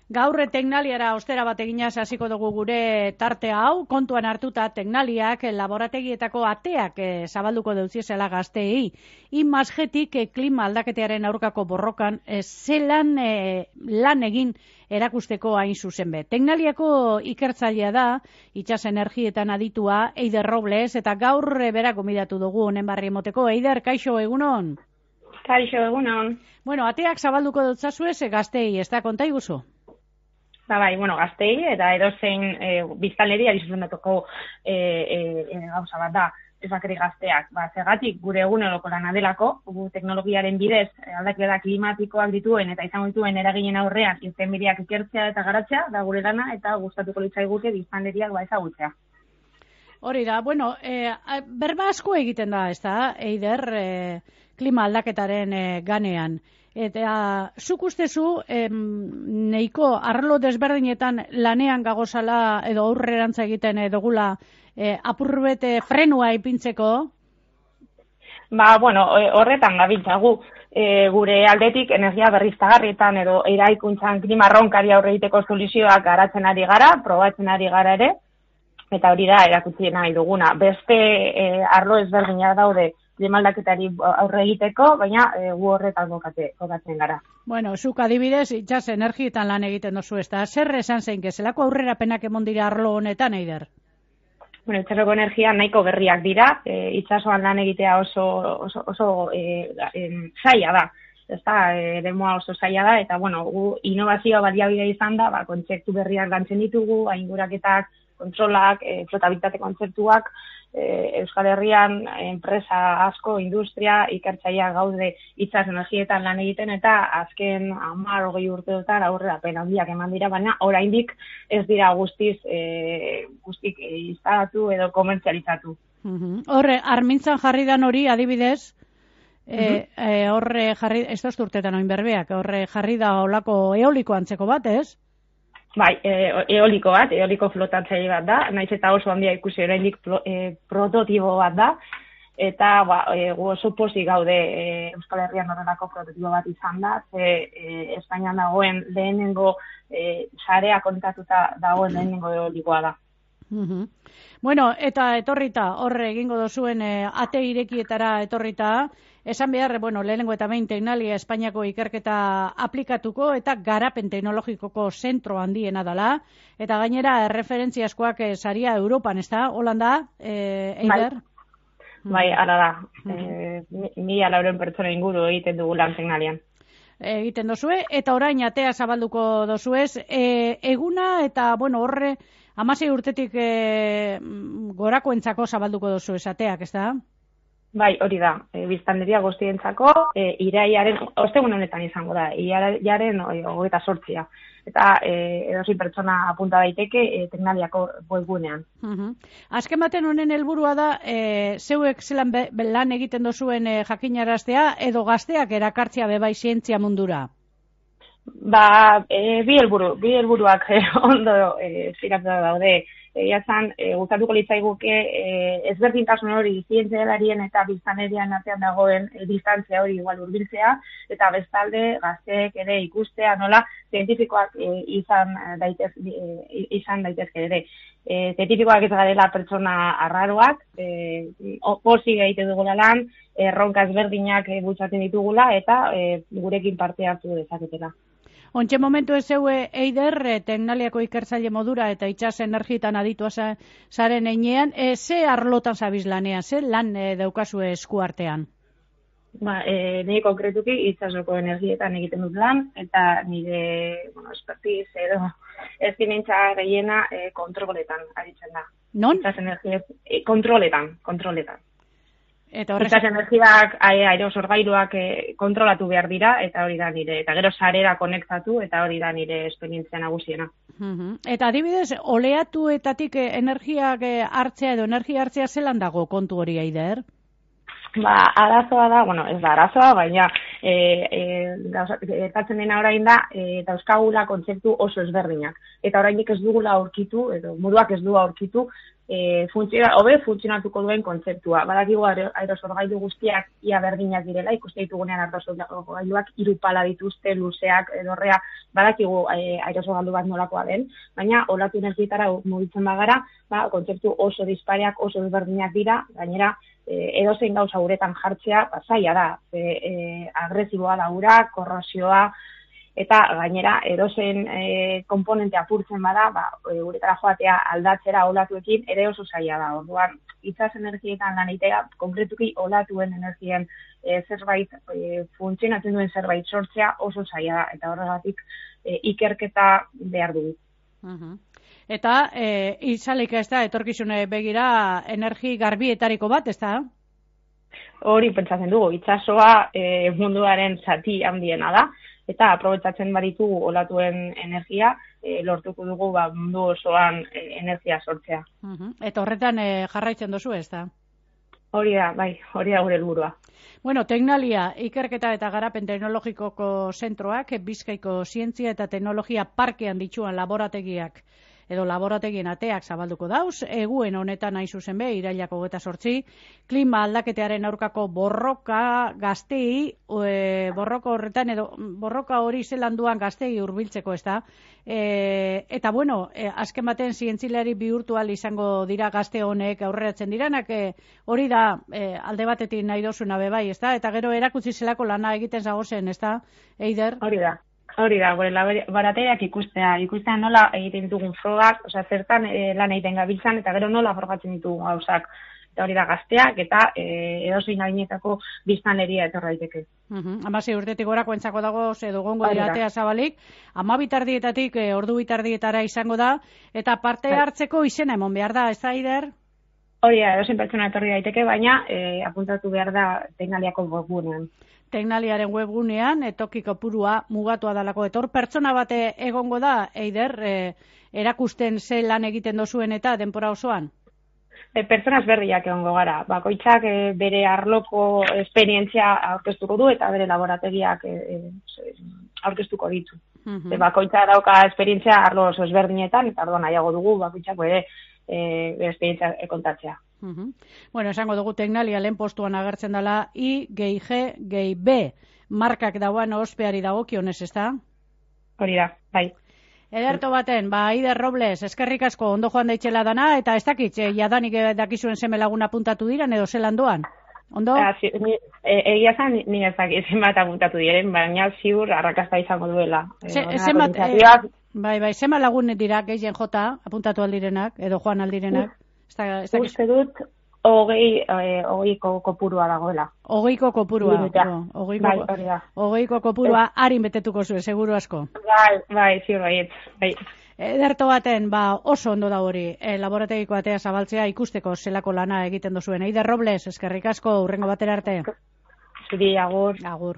Gaur Teknaliara ostera bat eginaz hasiko dugu gure tartea hau, kontuan hartuta Teknaliak laborategietako ateak zabalduko deutziezela gazteei. Imasgetik klima aldaketearen aurkako borrokan zelan lan egin erakusteko hain zuzen be. Teknaliako ikertzailea da, itsas energietan aditua, Eider Robles, eta gaur berak gomidatu dugu honen barri emoteko. Eider, kaixo, egunon? Kaixo, egunon. Bueno, ateak zabalduko dutzazue gazteei, ez da, konta iguzu? Bai, gaztei eta edozein biztanleri zuzendatoko gauza bat da, ez bakarrik gazteak. Zergatik gure eguneroko lana delako, gu teknologiaren bidez aldaketa klimatikoak dituen eta izango dituen eraginen aurrean irtenbideak ikertzea eta garatzea da gure lana, eta gustatuko litzaiguke biztanleriak ezagutzea. Hori da, bueno, berba asko egiten da, ez da, Eider, klima aldaketaren ganean. Eta zuk ustezu neiko arlo desberdinetan lanean gagozala edo aurrerantza egiten dugula apurbete frenua ipintzeko? Horretan gabiltzagu. Gure aldetik energia berriztagarrietan edo eraikuntzan klima erronkari aurre egiteko soluzioak garatzen ari gara, probatzen ari gara ere, eta hori da erakutsi nahi duguna. Beste arlo ezberdinak daude klima-aldaketari aurre egiteko, baina gu horretan kokatzen gara. Bueno, zuk adibidez, itsas energietan lan egiten dozu, ez da, zer esan zein, zelako aurrerapenak emon dira arlo honetan, Eider? Itsasoko energia nahiko berriak dira, itsasoan lan egitea oso zaila da. Ez da, eremua oso zaila da, eta gu innovazioa baliabide izan da, kontzeptu berriak lantzen ditugu, ainguraketak, kontrolak, flotabilitate kontzeptuak, Euskal Herrian enpresa asko, industria, ikertzaia gaude itsas energietan lan egiten, eta azken 10-20 urteotan aurrerapen handiak eman dira, baina oraindik ez dira guztik instalatu edo komertzializatu. Horre, armintzan jarri dan hori, adibidez, horre jarri, ez da urtetan oin berbeak, horre jarri da olako eoliko antzeko bat, ez? Bai, eoliko bat, eoliko flotatzaile bat da, naiz eta oso handia ikusi oraindik prototipo bat da, eta gu oso pozik gaude Euskal Herrian horrelako prototipo bat izan da, Espainian dagoen lehenengo sarea konektatuta dagoen lehenengo eolikoa da. Bueno, eta etorrita, horre egingo dozuen ate irekietara etorrita, esan behar, lehenengo eta behin Teknalia Espainiako ikerketa aplikatuko eta garapen teknologikoko zentro handiena dela, eta gainera referentzia askoak saria Europan, ez da? Holanda, Eider? Bai, ala da. 1.400 pertsona inguru egiten dugu lan Teknalian. Egiten dozue, eta orain atea zabalduko dozuez, eguna eta, horre, 16 urtetik gorakoentzako zabalduko dozu esateak, ez da? Bai, hori da. Biztanleria guztientzako iraiaren, ostegun honetan izango da, iraiaren 28. Eta edozein pertsona apunta daiteke Teknaliako webgunean. Azken baten honen helburua da, zeuek zelan lan egiten dozuen jakinaraztea edo gazteak erakartzea bebai zientzia mundura? Bi helburuak ondo ziratuta daude. Egiazan, gustatuko litzaiguke ezberdintasun hori zientzialarien eta biztanlerian artean dagoen distantzia hori igual hurbiltzea, eta bestalde gazteek ere ikustea nola zientifikoak izan daitezke ere. Zientifikoak ez garela pertsona arraroak, pozik egiten dugula lan, erronka ezberdinak bultzatzen ditugula eta gurekin parte hartu dezaketela. Ontxe momentu ez zeue, Eider, Teknaliako ikertzaile modura eta itsas energietan aditua zaren einean, ze arlotan zabiz lanean, ze lan daukazue eskuartean? Nire konkretuki itsasoko energietan egiten dut lan, eta nire expertiz edo ezkinentza gehiena kontroletan aritzen da. Non? Itsas energiez, kontroletan. Itsas energiak, aerosorgailuak kontrolatu behar dira, eta hori da nire, eta gero sarera konektatu, eta hori da nire esperientzia nagusiena. Eta adibidez, oleatuetatik energiak hartzea edo energia hartzea zelan dago kontu hori, Eider? Arazoa da, ez da arazoa, baina gertatzen dena orain da, dauzkagula kontzeptu oso ezberdinak. Eta oraindik ez dugula aurkitu, edo moduak ez du aurkitu, hobe funtzionatuko duen kontzeptua. Badakigu aerosorgailu guztiak ia berdinak direla, ikuste ditugunean aerosorgailuak 3 pala dituzte, luzeak, edorrea, badakigu aerosorgailu bat nolakoa den, baina olatu energietara mugitzen bagara, kontzeptu oso dispareak, oso ezberdinak dira, gainera, edozein gauza uretan jartzea, zaila da, agresiboa da ura, korrosioa, eta gainera edozein komponente apurtzen bada, uretara joatea aldatzera olatuekin ere oso zaila da. Orduan, itsas energietan lan egitea, konkretuki olatuen energien zerbait, funtzionatzen duen zerbait sortzea oso zaila da, eta horregatik ikerketa behar dugu. Eta izalik ez da, etorkizune begira energi garbietariko bat, ez da? Hori pentsatzen dugu, itsasoa munduaren zati handiena da, eta aprobetsatzen baditugu olatuen energia, lortuko dugu mundu osoan energia sortzea. Eta horretan jarraitzen duzu, ez da? Hori da, hori da gure helburua. Bueno, Tecnalia, ikerketa eta garapen teknologikoko zentroak, Bizkaiko zientzia eta teknologia parkean dituan laborategiak edo laborategien ateak zabalduko dauz, eguen honetan hain zuzen be, irailak 28, klima aldaketearen aurkako borroka gaztei, borroka horretan edo borroka hori zelan duan gaztei hurbiltzeko, ez da? Eta bueno, azken baten zientzilari bihurtual izango dira gazte honek aurreratzen diranak, hori da alde batetik nahi dozuna bebai, ez da? Eta gero erakutsi zelako lana egiten zagozen, ez da, Eider? Hori da, gure laborategiak ikustea nola egiten ditugun frogak, zertan lan egiten gabiltzan, eta gero nola frogatzen ditugun gauzak. Eta hori da gazteak, eta edozein adinetako biztanleria etorra daiteke. 16 urtetik gorako entzako dago, edo gongo dira atea zabalik, 12 tardietatik ordu 2 tardietara izango da, eta parte hartzeko izena emon behar da, ez da, Eider? Hori da, edozein pertsona etorri daiteke, baina apuntatu behar da Tecnaliako webgunean. Tecnaliaren webgunean, toki kopurua mugatua dalako. Etor pertsona bate egongo da, Eider, erakusten ze lan egiten dozuen eta denpora osoan? Pertsona ezberdinak egongo gara. Bakoitzak bere arloko esperientzia aurkeztuko du eta bere laborategiak aurkeztuko ditu. Bakoitza dauka esperientzia arlo oso ezberdinetan, eta orduan nahiago dugu bakoitzak bere esperientzia kontatzea. Bueno, esango dugu Tecnalia lehen postuan agertzen dela I-G-B markak dauan ospeari dagokionez, ez da? Hori da, bai. Ederto baten, Eider Robles, eskerrik asko ondo joan daitxela dana, eta ez dakit, jadanik dakizuen seme laguna apuntatu diren, edo zelan doan? Ondo? Egia zan, ni ez dakit zenbat apuntatu diren, baina ziur arrakasta izango duela. Zenbat lagun dira gehien jota apuntatu aldirenak, edo joan aldirenak? Uste dut, 20ko kopurua dagoela. 20ko kopurua. Hogeiko kopurua harin betetuko zuen, seguru asko. Bai, ziur bai. Ederto baten, oso ondo da hori, laborategiko atea zabaltzea ikusteko zelako lana egiten dozuen. Eider Robles, eskerrik asko, hurrengo batera arte. Zuri, agur. Agur.